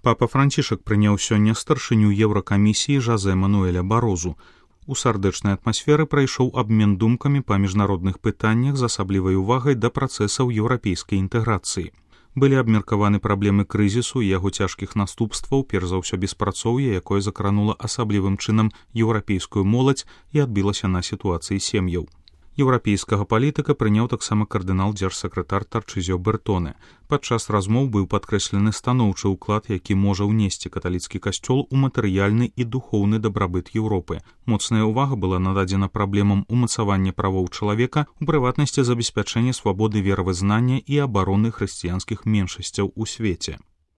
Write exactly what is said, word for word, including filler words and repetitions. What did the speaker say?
Папа Францішак прыняў сёння старшыню Еўракамісіі Жозе Мануэля Барозу. У сардэчнай атмасферы прайшоў абмен думкамі па міжнародных пытаннях з асаблівай увагай да працэсаў еўрапейскай інтэграцыі. Былі абмеркаваны праблемы крызісу і яго цяжкіх наступстваў, перш за ўсё беспрацоўе, якое закранула асаблівым чынам еўрапейскую моладзь і адбілася на сітуацыі сем'яў. Еўрапейскага палітыка прыняў таксама кардынал дзяржсакратар Тарчызіо Бертоне. Падчас размоў быў падкрэслены станоўчы ўклад, які можа ўнесці каталіцкі касцёл у матэрыяльны і духоўны дабрабыт Еўропы. Моцная ўвага была нададзена праблемам умацавання правоў чалавека, у прыватнасці забеспячэння свабоды веравызнання і абароны хрысціянскіх меншасцяў у свеце.